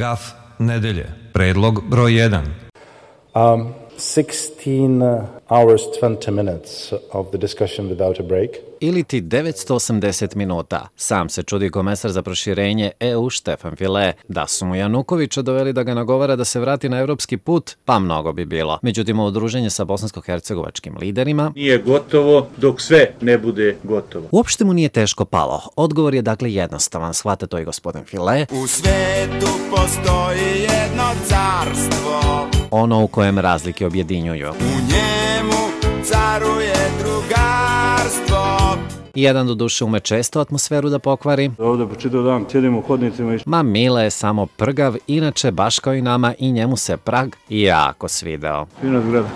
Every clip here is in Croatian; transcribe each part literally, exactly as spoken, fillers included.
Gaf nedelje. Predlog broj jedan. Um, sixteen hours twenty minutes of the discussion without a break. Ili ti devetsto osamdeset minuta. Sam se čudi komesar za proširenje E U Štefan File. Da su mu Janukovića doveli da ga nagovara da se vrati na evropski put, pa mnogo bi bilo. Međutim, udruženje sa bosansko-hercegovačkim liderima nije gotovo dok sve ne bude gotovo. Uopšte mu nije teško palo. Odgovor je dakle jednostavan, shvata to i gospodin File. U svetu postoji jedno carstvo, ono u kojem razlike objedinjuju. U njemu caruje drugarstvo. Jedan do duše ume često atmosferu da pokvari. Ovdje po čitav dan sjedimo u hodnicima i... Ma Mile je samo prgav, inače baš kao i nama i njemu se Prag jako svideo. Fina zgrada.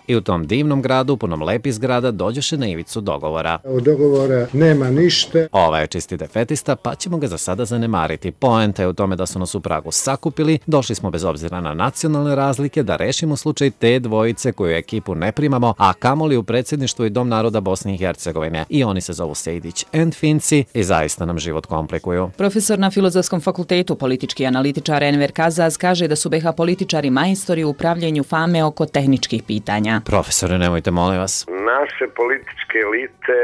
I u tom divnom gradu, punom lepih zgrada, dođeše na ivicu dogovora. Od dogovora nema ništa. Ova je čisti defetista, pa ćemo ga za sada zanemariti. Poenta je u tome da su nas u Pragu sakupili, došli smo bez obzira na nacionalne razlike da rešimo slučaj te dvojice koju ekipu ne primamo, a kamoli u predsjedništvu i Dom naroda Bosne i Hercegovine. I oni se zovu Sejdić and Finci i zaista nam život komplikuju. Profesor na Filozofskom fakultetu, politički analitičar Enver Kazaz, kaže da su B H političari majstori u upravljanju fame oko tehničkih pitanja. Profesore, nemojte, molim vas. Naše političke elite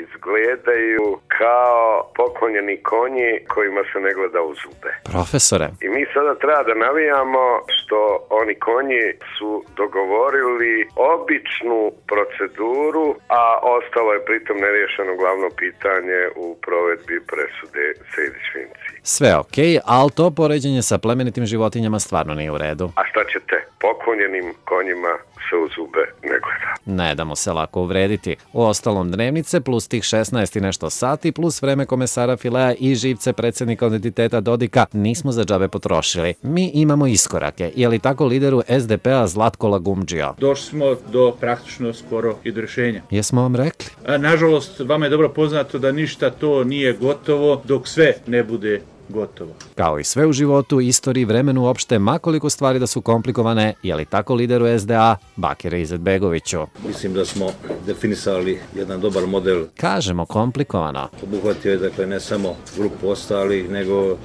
izgledaju kao poklonjeni konji kojima se ne gleda u zube. Profesore. I mi sada treba da navijamo što oni konji su dogovorili običnu proceduru, a ostalo je pritom neriješeno glavno pitanje u provedbi presude Sejdić-Finci. Sve okej, okay, ali to poređenje sa plemenitim životinjama stvarno nije u redu. A šta ćete? Poklonjenim konjima se u zube ne gleda. Ne damo se lako uvrediti. U ostalom dnevnice plus tih šesnaest i nešto sati plus vreme komesara Filea i živce predsjednika identiteta Dodika nismo za džabe potrošili. Mi imamo iskorake. Je li tako lideru S D P-a Zlatko Lagumdžija? Došli smo do praktično skoro i do rješenja. Jesmo vam rekli? A, nažalost, vama je dobro poznato da ništa to nije gotovo dok sve ne bude gotovo. Kao i sve u životu, istoriji, vremenu uopšte, makoliko stvari da su komplikovane, je li tako lideru S D A Bakire Izetbegoviću? Mislim da smo definisali jedan dobar model. Kažemo komplikovano. Obuhvatio je dakle ne samo grupu ostalih, nego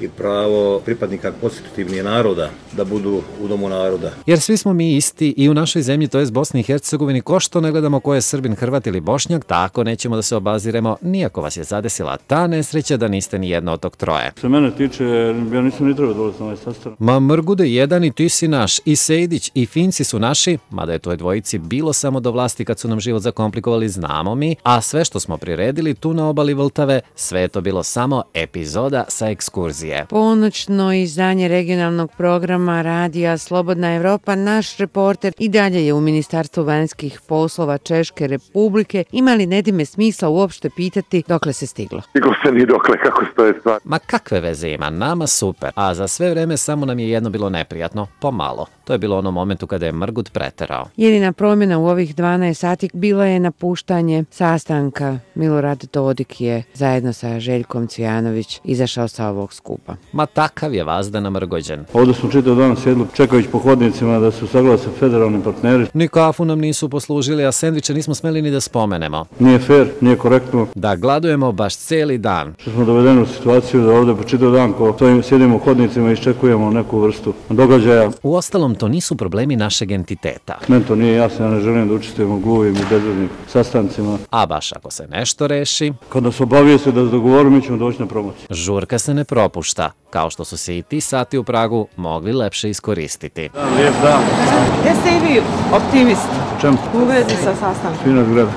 i pravo pripadnika konstitutivnih naroda da budu u domu naroda. Jer svi smo mi isti i u našoj zemlji, to je Bosni i Hercegovini, ko što ne gledamo ko je Srbin, Hrvat ili Bošnjak, tako nećemo da se obaziremo, nijako vas je zadesila ta nesreća da niste ni jedno od tog troje. Što mene tiče, ja nisam ni trebao dolaziti na ovaj sastanak. Ma Mrgude, jedan i ti si naš, i Sejdić i Finci su naši, mada je toj dvojici bilo samo do vlasti kad su nam život zakomplikovali, znamo mi, a sve što smo priredili tu na obali Vltave, sve je to bilo samo epizoda sa ekskurzije. Ponoćno izdanje regionalnog programa Radija Slobodna Evropa, naš reporter i dalje je u Ministarstvu vanjskih poslova Češke Republike. Ima li Nedime smisla uopšte pitati dokle se stiglo? Stiglo se ni dokle, kako stoje stvar. Ma kakve veze ima, nama super. A za sve vreme samo nam je jedno bilo neprijatno, pomalo. To je bilo ono momentu kada je Mrgut preterao. Jedina promjena u ovih dvanaest sati bila je napuštanje sastanka. Milorad Dodik je zajedno sa Željkom Cvijanović izašao sa ovog skupa. Ma takav je vazda namrgođen. Ovdje smo čitav dan sjedli čekajući po hodnicima da su saglase federalni partneri. Ni kafu nam nisu poslužili, a sendviče nismo smeli ni da spomenemo. Nije fair, nije korektno. Da gladujemo baš cijeli dan. Što smo dovedeni u situaciju da ovdje po čitav dan ko stojimo, sjedimo u hodnicima i iščekujemo neku vrstu događaja. Uostalom, to nisu problemi našeg entiteta. Meni to nije jasno, ja ne želim da učestvujem u gluvim i bezvednim sastancima. A baš ako se nešto reši... Kad nas obavijeste da se dogovorimo, mi ćemo doći na promociju. Žurka se ne propušta, kao što su se i ti sati u Pragu mogli lepše iskoristiti. Dan, lijep dan. Jeste i vi optimist? Čem? U vezi sa sastankom. Fina zgrada.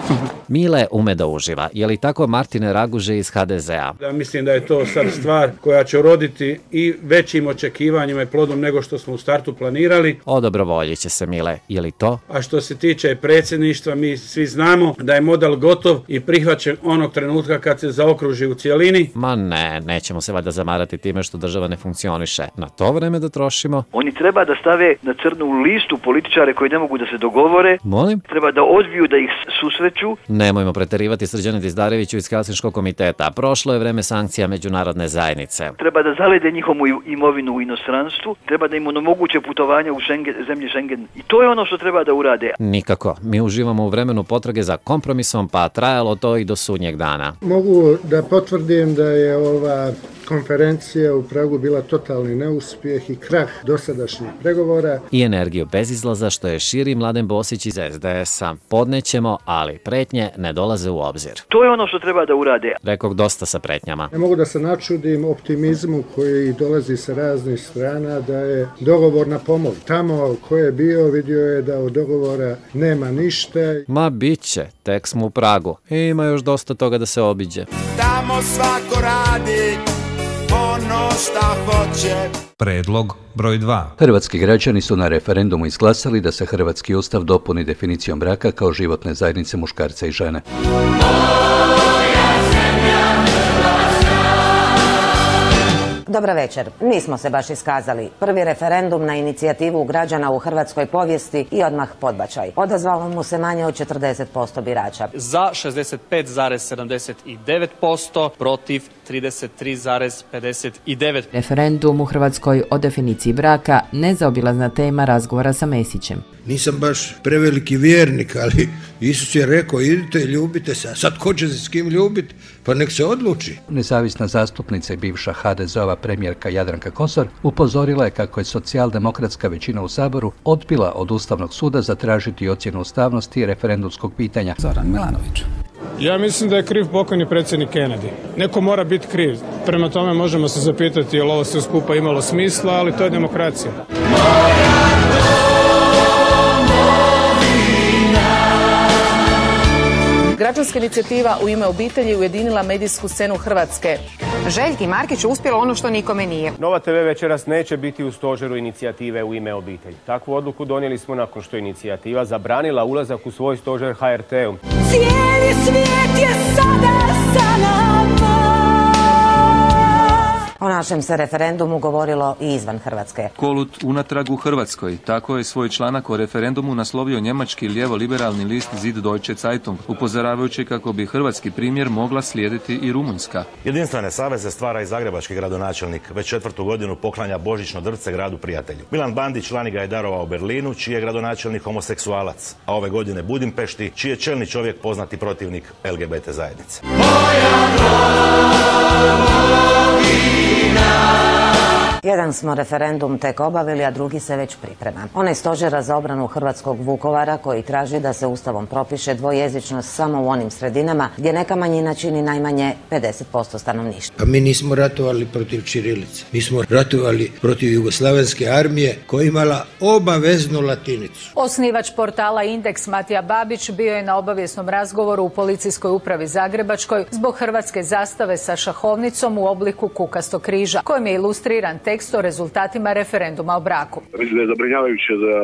Mile ume da uživa. Je li tako Martine Raguže iz H D Z A? Ja mislim da je to sad stvar koja će roditi i većim očekivanjima i plodom nego što smo u startu planirali. Odobrovoljit će se, Mile. Je li to? A što se tiče predsjedništva, mi svi znamo da je model gotov i prihvaćen onog trenutka kad se zaokruži u cijelini. Ma ne, nećemo se valjda zamarati time što država ne funkcioniše. Na to vreme da trošimo. Oni treba da stave na crnu listu političare koji ne mogu da se dogovore. Molim? Treba da odbiju da ih susreću. Nemojmo preterivati, Srđane Dizdareviću iz Helsinškog komiteta. Prošlo je vreme sankcija međunarodne zajednice. Treba da zalede njihovu imovinu u inostranstvu. Treba da im onemoguće putovanja u Schengen, zemlje Schengen. I to je ono što treba da urade. Nikako. Mi uživamo u vremenu potrage za kompromisom, pa trajalo to i do sudnjeg dana. Mogu da potvrdim da je ova konferencija u Pragu bila totalni neuspjeh i krah dosadašnjih pregovora. I energiju bez izlaza što je širi Mladen Bosić iz es de es-a. Podnećemo, ali pretnje ne dolaze u obzir. To je ono što treba da urade. Rekog dosta sa pretnjama. Ne mogu da se načudim optimizmu koji dolazi sa raznih strana da je dogovor na pomolu. Tamo ko je bio vidio je da od dogovora nema ništa. Ma bit će, tek smo u Pragu. Ima još dosta toga da se obiđe. Tamo svako radi ono šta hoće. Predlog broj dva. Hrvatski građani su na referendumu izglasali da se hrvatski ustav dopuni definicijom braka kao životne zajednice muškarca i žene. Dobra večer. Nismo se baš iskazali. Prvi referendum na inicijativu građana u hrvatskoj povijesti i odmah podbačaj. Odazvalo mu se manje od četrdeset posto birača. Za šezdeset pet zarez sedamdeset devet posto, protiv trideset tri zarez pedeset devet posto. Referendum u Hrvatskoj o definiciji braka nezaobilazna tema razgovora sa Mesićem. Nisam baš preveliki vjernik, ali Isus je rekao idite, ljubite se, a sad ko će se s kim ljubiti, pa nek se odluči. Nezavisna zastupnica i bivša ha de ze-ova premijerka Jadranka Kosor upozorila je kako je socijaldemokratska većina u Saboru odbila od Ustavnog suda zatražiti ocjenu ustavnosti referendumskog pitanja. Zoran Milanović. Ja mislim da je kriv pokojni predsjednik Kennedy. Neko mora biti kriv. Prema tome možemo se zapitati je li ovo sve skupa imalo smisla, ali to je demokracija. Građanska inicijativa U ime obitelji ujedinila medijsku scenu Hrvatske. Željki Markić uspjelo ono što nikome nije. Nova te ve večeras neće biti u stožeru inicijative U ime obitelji. Takvu odluku donijeli smo nakon što je inicijativa zabranila ulazak u svoj stožer ha er te-u. Cijeli svijet je sada sa nama. O našem se referendumu govorilo i izvan Hrvatske. Kolut unatrag u Hrvatskoj. Tako je svoj članak o referendumu naslovio njemački lijevo-liberalni list Süddeutsche Zeitung, upozoravajući kako bi hrvatski primjer mogla slijediti i Rumunjska. Jedinstvene saveze stvara i zagrebački gradonačelnik. Već četvrtu godinu poklanja božićno drvce gradu prijatelju. Milan Bandić lani ga je darovao Berlinu, čiji je gradonačelnik homoseksualac, a ove godine Budimpešti, čiji je čelni čovjek poznati protivnik el ge be te zajednice. Jedan smo referendum tek obavili, a drugi se već priprema. Onaj stožera za obranu hrvatskog Vukovara koji traži da se ustavom propiše dvojezičnost samo u onim sredinama gdje neka manjina čini najmanje pedeset posto stanovništva. Pa mi nismo ratovali protiv ćirilice. Mi smo ratovali protiv jugoslavenske armije koja je imala obaveznu latinicu. Osnivač portala Indeks Matija Babić bio je na obavijesnom razgovoru u policijskoj upravi Zagrebačkoj zbog hrvatske zastave sa šahovnicom u obliku kukastog križa, kojim je ilustriran tekst o rezultatima referenduma o braku. Mislim da je zabrinjavajuće da,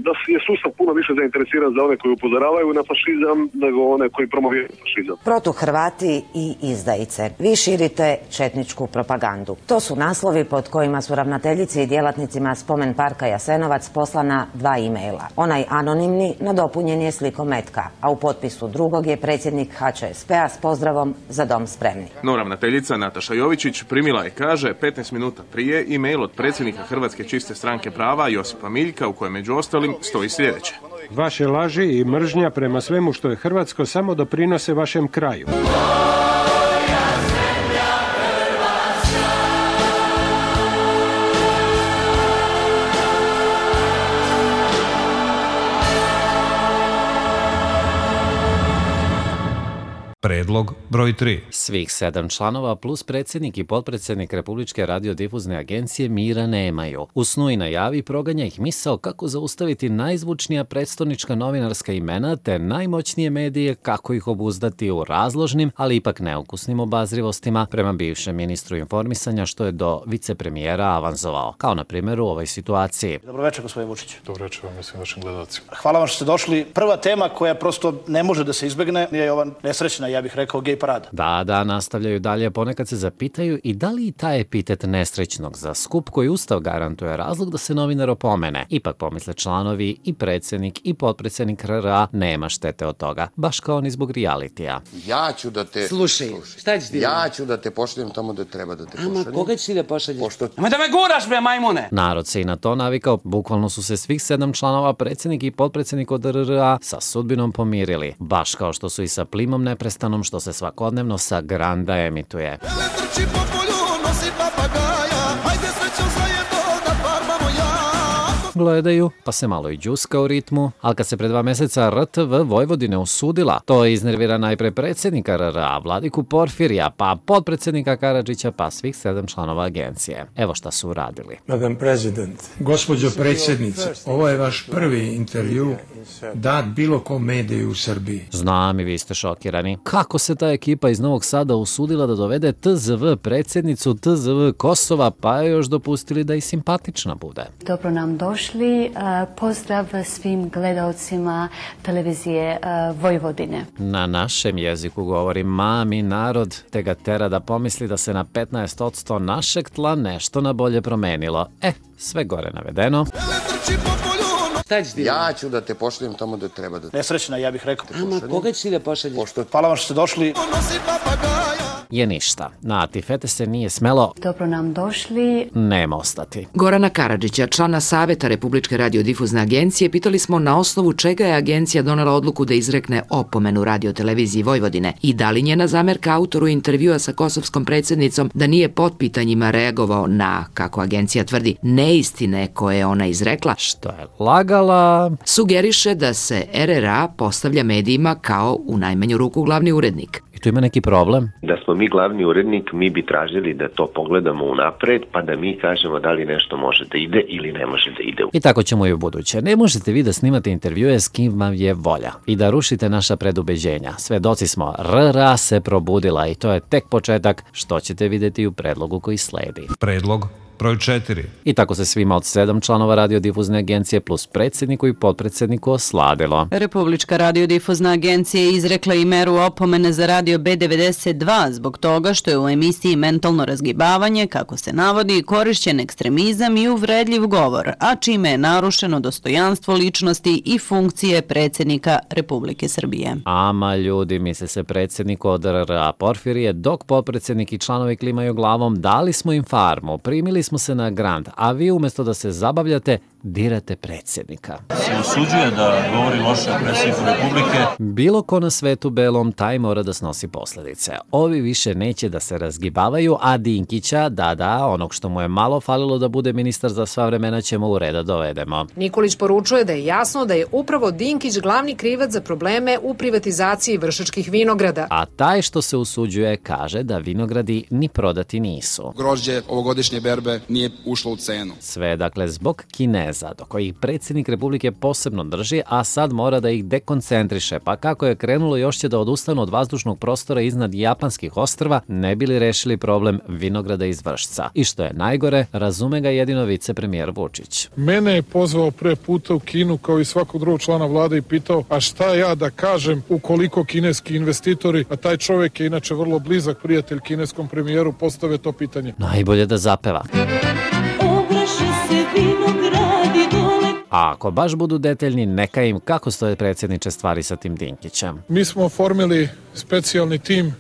da je sustav puno više zainteresiran za one koji upozoravaju na fašizam nego one koji promoviraju fašizam. Protuhrvati i izdajice. Vi širite četničku propagandu. To su naslovi pod kojima su ravnateljici i djelatnicima Spomen parka Jasenovac poslana dva e-maila. Onaj anonimni nadopunjen je slikom metka, a u potpisu drugog je predsjednik ha će es pe-a s pozdravom Za dom spremni. No ravnateljica Nataša Jovičić primila je, kaže, petnaest minuta prije e-mail od predsjednika Hrvatske čiste stranke prava Josipa Miljka u kojem među ostalim stoji sljedeće. Vaše laži i mržnja prema svemu što je hrvatsko samo doprinose vašem kraju. Predlog broj tri. Svih sedam članova plus predsjednik i potpredsjednik Republičke radiodifuzne agencije mira nemaju. U snu i najavi proganja ih misao kako zaustaviti najzvučnija predstavnička novinarska imena te najmoćnije medije kako ih obuzdati u razložnim, ali ipak neukusnim obazrivostima prema bivšem ministru informisanja što je do vicepremijera avanzovao. Kao na primjer u ovoj situaciji. Dobro večer, gospodin Vučić. Dobro večer vam i svim vašim gledalcima. Hvala vam što ste došli. Prva tema koja prosto ne može da se izbegne je ova nesrećna, ja bih rekao, gej parada. Da, da, nastavljaju dalje, ponekad se zapitaju i da li i taj epitet nesrećnog za skup koji Ustav garantuje razlog da se novinar opomene. Ipak pomisle članovi i predsjednik i potpredsjednik er er a nema štete od toga, baš kao ni zbog realitija. Ja ću da te... Slušaj, šta ćeš ti? Ja ću da te pošaljem tamo da treba da te pošaljem. Ama, koga ćeš ti da pošalješ? Pošto... Ama da me guraš, bre, majmune! Narod se i na to navikao, bukvalno su se svih sedam članova predsjednik i potpredsjednik od er er a sa sudbinom pomirili, baš kao što su i sa Plimom neprestanom što se svakodnevno sa Granda emituje. Trči po polju, nosi papagaja, ajde srećom zajedno da farbamo jako. Gledaju, pa se malo i džuska u ritmu, ali kad se pre dva meseca R T V Vojvodine osudila, to je iznervira najpre predsjednika R R A, Vladiku Porfirija, pa potpredsjednika Karadžića, pa svih sedam članova agencije. Evo šta su uradili. Madam President, gospođo predsjednice, ovo je vaš prvi intervju dat bilo kom mediju u Srbiji. Znam i vi ste šokirani. Kako se ta ekipa iz Novog Sada usudila da dovede T Z V predsjednicu T Z V Kosova, pa je još dopustili da i simpatična bude. Dobro nam došli. Pozdrav svim gledalcima televizije Vojvodine. Na našem jeziku govori mami narod, te ga tera da pomisli da se na petnaest posto našeg tla nešto na bolje promenilo. E, sve gore navedeno. Ja ću da te pošaljem tamo da treba da te... Nesrećna, ja bih rekao. Ama, koga ćeš ti da pošalješ? Hvala vam što ste došli. Je ništa. Na Tifete se nije smelo... Dobro nam došli. Nema ostati. Gorana Karadžića, člana Saveta Republičke radiodifuzne agencije, pitali smo na osnovu čega je agencija donela odluku da izrekne opomenu radioteleviziji Vojvodine i da li njena zamerka autoru intervjua sa kosovskom predsjednicom da nije pod pitanjima reagovao na, kako agencija tvrdi, neistine koje je ona izrekla, što je lagala, sugeriše da se R R A postavlja medijima kao u najmanju ruku glavni urednik. I tu ima neki problem? Da smo mi glavni urednik, mi bi tražili da to pogledamo unapred, pa da mi kažemo da li nešto može da ide ili ne može da ide. I tako ćemo i u buduće. Ne možete vi da snimate intervjue s kim vam je volja i da rušite naša predubeđenja. Svedoci smo, R R A se probudila i to je tek početak, što ćete vidjeti u predlogu koji sledi. Predlog broj četiri. I tako se svima od sedam članova radiodifuzne agencije plus predsjedniku i potpredsjedniku osladilo. Republička radiodifuzna agencija je izrekla i meru opomene za radio B devedeset dva zbog toga što je u emisiji Mentalno razgibavanje, kako se navodi, korišćen ekstremizam i uvredljiv govor, a čime je narušeno dostojanstvo ličnosti i funkcije predsjednika Republike Srbije. Ama ljudi, misle se predsjedniku od R R A Porfirije, dok potpredsjednik i članovi klimaju glavom, dali smo im farmu, primili smo se na Grand, a vi umjesto da se zabavljate, dirate predsjednika. Se usuđuje da govori loše o predsjedniku Republike. Bilo ko na svetu belom, taj mora da snosi posljedice. Ovi više neće da se razgibavaju, a Dinkića, da, da, onog što mu je malo falilo da bude ministar za sva vremena, ćemo u reda dovedemo. Nikolić poručuje da je jasno da je upravo Dinkić glavni krivac za probleme u privatizaciji Vršačkih vinograda. A taj što se usuđuje kaže da vinogradi ni prodati nisu. Grožđe ovogodišnje berbe nije ušlo u cenu. Sve, dakle, zbog Kineza, do kojih predsjednik Republike posebno drži, a sad mora da ih dekoncentriše, pa kako je krenulo još će da odustanu od vazdušnog prostora iznad japanskih ostrva, ne bi li rešili problem vinograda iz Vršca. I što je najgore, razume ga jedino vicepremijer Vučić. Mene je pozvao pre puta u Kinu kao i svakog drugog člana vlade i pitao, a šta ja da kažem ukoliko kineski investitori, a taj čovjek je inače vrlo blizak prijatelj kineskom premijeru, postave to pitanje. Najbolje da zapeva. A ako baš budu detaljni, neka im kako stoje predsjedniče stvari sa tim Dinkićem. Mi smo oformili specijalni tim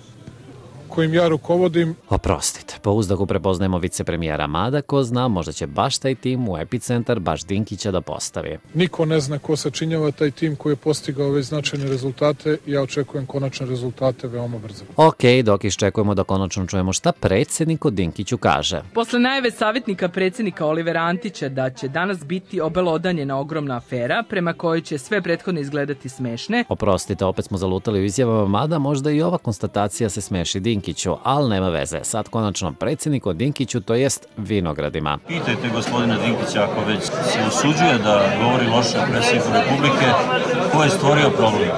kojim ja rukovodim. Oprostite, po uzdaku prepoznajemo vicepremijera, mada ko zna, možda će baš taj tim u epicentar baš Dinkića da postavi. Niko ne zna ko sačinjava taj tim koji je postigao ove značajne rezultate i ja očekujem konačne rezultate veoma brzo. Ok, dok iščekujemo da konačno čujemo šta predsjednik o Dinkiću kaže. Posle najave savjetnika predsjednika Olivera Antića da će danas biti obelodanjena ogromna afera prema kojoj će sve prethodno izgledati smešne. Oprostite, opet smo zalutali u izjavama, mada možda i ova konstatacija se smeši Dinkiću. Ali nema veze, sad konačno predsjednik o Dinkiću, to jest vinogradima. Pitajte gospodina Dinkića ako već se usuđuje da govori loše o predsjedniku Republike, ko je stvorio problem?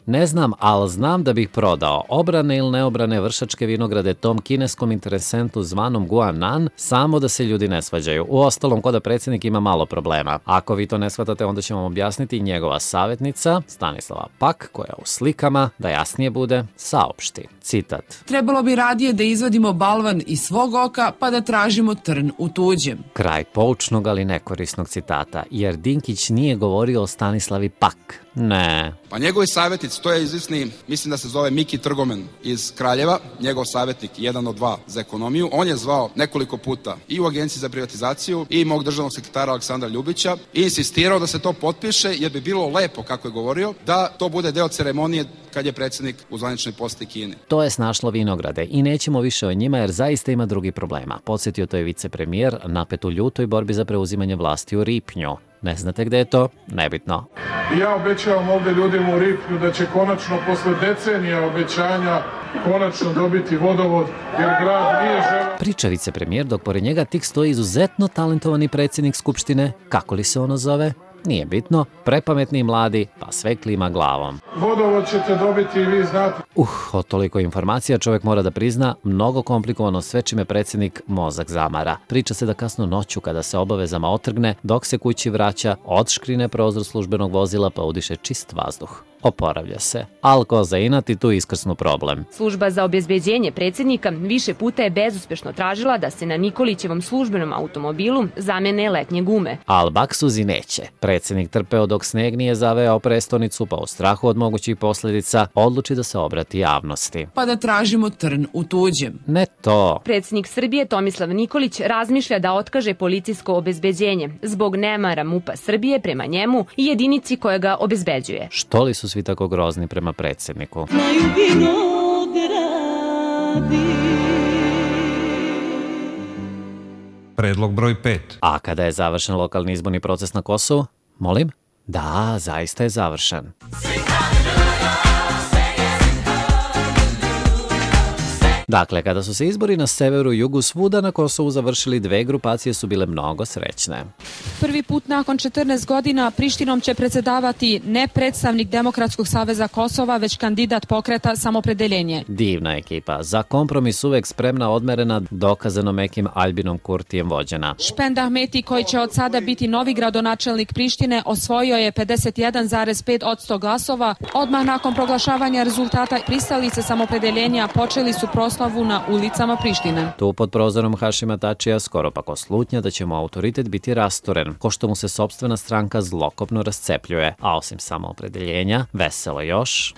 Ne znam, ali znam da bih prodao obrane ili neobrane Vršačke vinograde tom kineskom interesentu zvanom Guanan, samo da se ljudi ne svađaju. U ostalom, ko da predsjednik ima malo problema. Ako vi to ne shvatate, onda ćemo vam objasniti njegova savjetnica, Stanislava Pak, koja u slikama, da jasnije bude, saopšti. Citat. Trebalo bi radije da izvadimo balvan iz svog oka, pa da tražimo trn u tuđem. Kraj poučnog, ali nekorisnog citata, jer Dinkić nije govorio o Stanislavi Pak. Ne. Pa njegovi savjetnici, to je izvisni, mislim da se zove Miki Trgomen iz Kraljeva, njegov savjetnik, jedan od dva za ekonomiju. On je zvao nekoliko puta i u Agenciji za privatizaciju i mog državnog sekretara Aleksandra Ljubića i insistirao da se to potpiše jer bi bilo lepo, kako je govorio, da to bude deo ceremonije kad je predsjednik u zvaničnoj poseti Kine. To je snašlo vinograde i nećemo više o njima jer zaista ima drugi problema. Podsjetio to je vicepremijer napet u ljutoj borbi za preuzimanje vlasti u Ripnju. Ne znate gde je to? Nebitno. Ja obećavam ovdje ljudima u Ripnju da će konačno posle decenija obećanja konačno dobiti vodovod jer grad nije želeo. Priča vicepremijer dok pored njega tik stoji izuzetno talentovani predsjednik Skupštine, kako li se ono zove? Nije bitno, prepametni i mladi, pa sve klima glavom. Vodovod ćete dobiti i vi znate. Uh, od toliko informacija čovjek mora da prizna, mnogo komplikovano sve čime predsjednik mozak zamara. Priča se da kasno noću kada se obavezama otrgne, dok se kući vraća, odškrine prozor službenog vozila pa udiše čist vazduh. Oporavlja se. Al ko za inat i tu iskrsnu problem. Služba za obezbeđenje predsjednika više puta je bezuspešno tražila da se na Nikolićevom službenom automobilu zamene letnje gume. Al baksuzi neće. Predsjednik trpeo dok sneg nije zaveo prestonicu, pa u strahu od mogućih posljedica odluči da se obrati javnosti. Pa da tražimo trn u tuđem. Ne to. Predsjednik Srbije Tomislav Nikolić razmišlja da otkaže policijsko obezbeđenje zbog nemara MUP-a Srbije prema njemu i jedinici koja ga obezbeđuje. Što li su svi tako grozni prema predsjedniku? Predlog broj pet. A kada je završen lokalni izborni proces na Kosovu? Molim? Da, zaista je završen. Dakle, kada su se izbori na severu i jugu svuda na Kosovu završili, dve grupacije su bile mnogo srećne. Prvi put nakon četrnaest godina Prištinom će predsjedavati ne predstavnik Demokratskog saveza Kosova, već kandidat pokreta Samopredeljenje. Divna ekipa, za kompromis uvek spremna, odmerena, dokazano mekim Albinom Kurtijem vođena. Špend Ahmeti, koji će od sada biti novi gradonačelnik Prištine, osvojio je pedeset jedan zarez pet posto glasova. Odmah nakon proglašavanja rezultata pristalice Samopredeljenja počeli su proslavu na ulicama Prištine. Tu pod prozorom Hašima Tačija skoro pa ko slutnja da će mu autoritet biti rastoren, ko što mu se sopstvena stranka zlokopno rascepljuje, a osim samoopredeljenja, veselo još.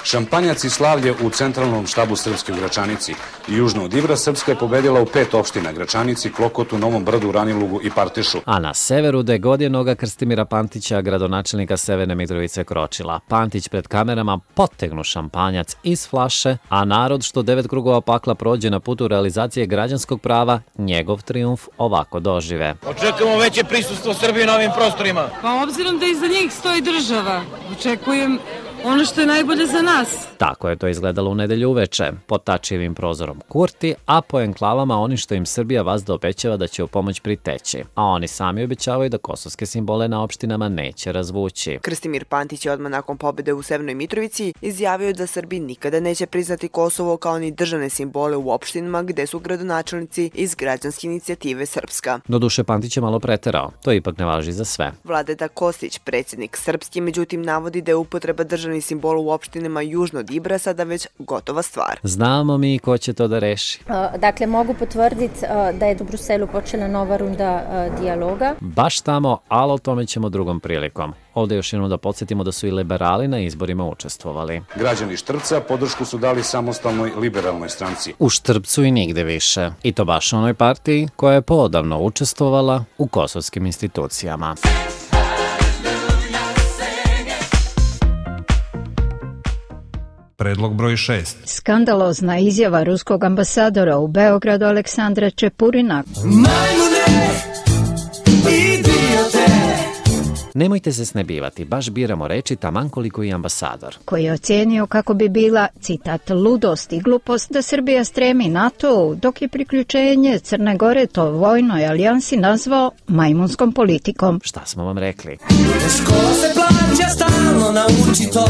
Šampanjac i slavlje u centralnom štabu Srpske u Gračanici. Južno od Ivra Srpska je pobedila u pet opština: Gračanici, Klokotu, Novom Brdu, Ranilugu i Partišu. A na severu gde god je noga Krstimira Pantića, gradonačelnika Severne Mitrovice, kročila. Pantić pred kamerama potegnu šampanjac iz flaše, a narod što devet krugova pakla prođe na putu realizacije građanskog prava, njegov trijumf ovako dožive. Očekujemo veće prisustvo Srbije na ovim prostorima. Pa obzirom da iza njih stoji država, očekujem ono što je najbolje za nas. Tako je to izgledalo u nedelju uveče, pod Tačijevim prozorom Kurti, a po enklavama oni što im Srbija vazda obećava da će u pomoć priteći, a oni sami obećavaju da kosovske simbole na opštinama neće razvući. Krstimir Pantić je odmah nakon pobjede u Severnoj Mitrovici izjavio da Srbi nikada neće priznati Kosovo kao ni državne simbole u opštinama gde su gradonačelnici iz građanske inicijative Srpska. Doduše Pantić je malo preterao, to ipak ne važi za sve. Vladeta Kostić, predsjednik Srpski, međutim navodi da je upotreba državnih simbola u opštinama južno od Ibra sada već gotova stvar. Znamo mi ko će to da reši. Dakle, mogu potvrditi da je u Bruselu počela nova runda dijaloga. Baš tamo, ali o tome ćemo drugom prilikom. Ovdje još jednom da podsjetimo da su i liberali na izborima učestvovali. Građani Štrpca podršku su dali samostalnoj liberalnoj stranci. U Štrpcu i nigde više. I to baš onoj partiji koja je poodavno učestvovala u kosovskim institucijama. Predlog broj šest. Skandalozna izjava ruskog ambasadora u Beogradu Aleksandra Čepurina. Majmune, idiote. Nemojte se snebivati, baš biramo reči taman koliko i ambasador. Koji je ocijenio kako bi bila, citat, ludost i glupost da Srbija stremi NATO, dok je priključenje Crne Gore to vojnoj alijansi nazvao majmunskom politikom. Šta smo vam rekli? Škola se plaća, stalno nauči to.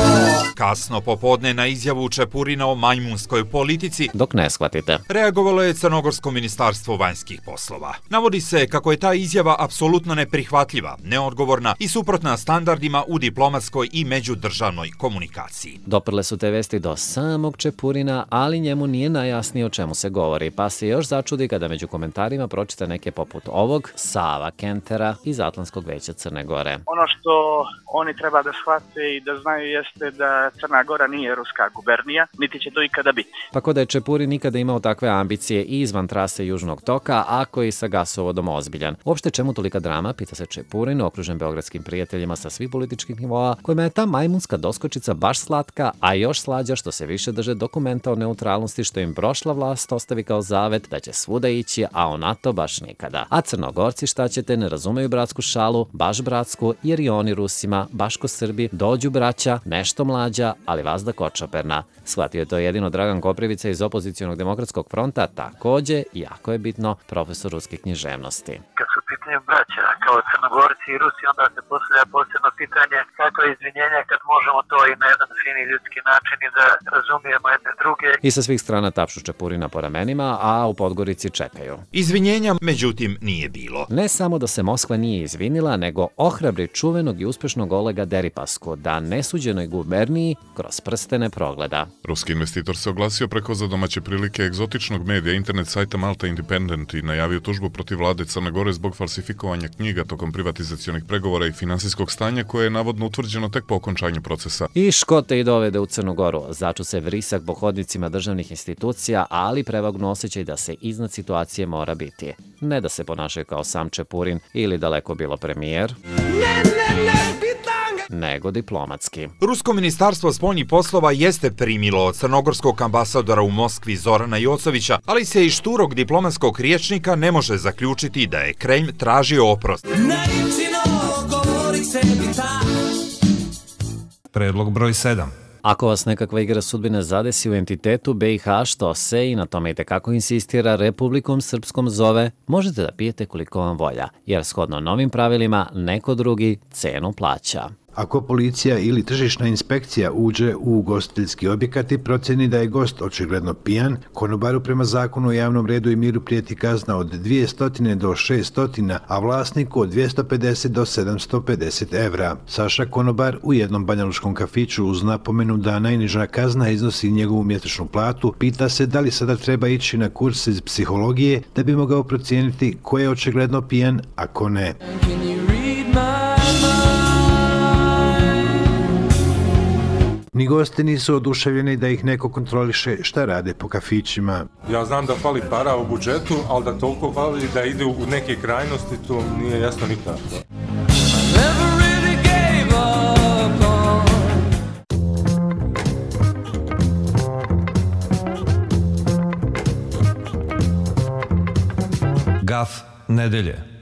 Kasno popodne na izjavu Čepurina o majmunskoj politici, dok ne shvatite, reagovalo je Crnogorsko ministarstvo vanjskih poslova. Navodi se kako je ta izjava apsolutno neprihvatljiva, neodgovorna i suprotna standardima u diplomatskoj i međudržavnoj komunikaciji. Doprle su te vesti do samog Čepurina, ali njemu nije najjasnije o čemu se govori, pa se još začudi kada među komentarima pročita neke poput ovog Sava Kentera iz Atlantskog veća Crne Gore. Ono što oni treba da shvate i da znaju znaju jeste da Crna Gora nije ruska gubernija, niti će to ikada biti. Tako da je Čepurin nikada imao takve ambicije i izvan trase Južnog toka, ako i sa gasovodom ozbiljan. Uopšte čemu tolika drama, pita se Čepurin, okružen beogradskim prijateljima sa svih političkih nivoa, kojima je ta majmunska doskočica baš slatka, a još slađa što se više drže dokumenta o neutralnosti što im prošla vlast ostavi kao zavet da će svuda ići, a o NATO baš nikada. A Crnogorci, šta ćete, ne razumeju bratsku šalu, baš bratsku, jer i oni Rusima, baš ko Srbi, dođu braća, nešto mlađa, ali vazda kočoperna. Shvatio je to jedino Dragan Koprivica iz opozicionog demokratskog fronta, takođe, jako je bitno, profesor ruske književnosti. Kad su pitanje braća, kao Crnogorci i Rusi, onda se postavlja posebno pitanje kakva je izvinjenja kad možemo to i na jedan fini ljudski način i da razumijemo jedne druge. I sa svih strana tapšu Čepurina po ramenima, a u Podgorici čekaju. Izvinjenja, međutim, nije bilo. Ne samo da se Moskva nije izvinila, nego ohrabri čuvenog i uspešnog Olega Deripasku da nesuđenoj guberniji kroz prste ne progleda. Ruski investitor se oglasio preko za domaće prilike egzotičnog medija internet sajta Malta Independent i najavio tužbu protiv vlade Crne Gore zbog falsifikovanja knjiga tokom privatizacionih pregovora i finansijskog stanja koje je navodno utvrđeno tek po okončanju procesa. I škote i dovede u Crnu Goru. Začu se vrisak po hodnicima državnih institucija, ali prevagnu osjećaj da se iznad situacije mora biti. Ne da se ponašaju kao sam Čepurin ili daleko bilo premijer, nego diplomatski. Rusko ministarstvo spoljnih poslova jeste primilo od crnogorskog ambasadora u Moskvi Zorana Jocovića, ali se iz šturog diplomatskog riječnika ne može zaključiti da je Kremlj tražio oprost. Predlog broj sedam. Ako vas nekakva igra sudbine zadesi u entitetu B i H, što se i na tome i tekako insistira Republikom Srpskom zove, možete da pijete koliko vam volja, jer shodno novim pravilima neko drugi cenu plaća. Ako policija ili tržišna inspekcija uđe u ugostiteljski objekat i proceni da je gost očigledno pijan, konobaru prema zakonu o javnom redu i miru prijeti kazna od dvjesto do šesto, a vlasniku od dvjesto pedeset do sedamsto pedeset evra. Saša Konobar u jednom banjalučkom kafiću uz napomenu da najniža kazna iznosi njegovu mjesečnu platu, pita se da li sada treba ići na kurs iz psihologije da bi mogao procijeniti ko je očigledno pijan, a ko ne. Ni gosti nisu oduševljeni da ih neko kontroliše šta rade po kafićima. Ja znam da fali para u budžetu, ali da toliko fali da ide u neke krajnosti, to nije jasno nikako. Gaf nedelje.